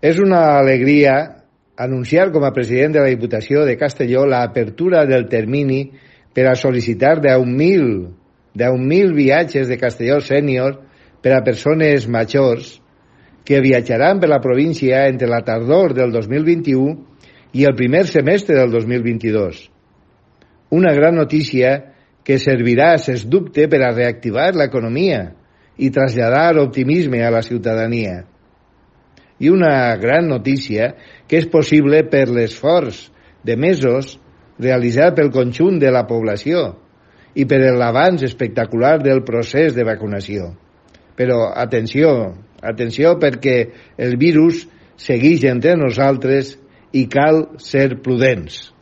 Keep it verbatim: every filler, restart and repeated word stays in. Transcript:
És una alegria anunciar com a president de la Diputació de Castelló l'apertura del termini per a sol·licitar deu mil viatges de Castelló Sènior per a persones majors que viatjaran per la província entre la tardor del dos mil vint-i-u i el primer semestre del dos mil vint-i-dos. Una gran notícia que servirà, sens dubte, per a reactivar l'economia i traslladar optimisme a la ciutadania. I una gran notícia que és possible per l'esforç de mesos realitzat pel conjunt de la població i per l'avanç espectacular del procés de vacunació. Però atenció, atenció perquè el virus segueix entre nosaltres i cal ser prudents.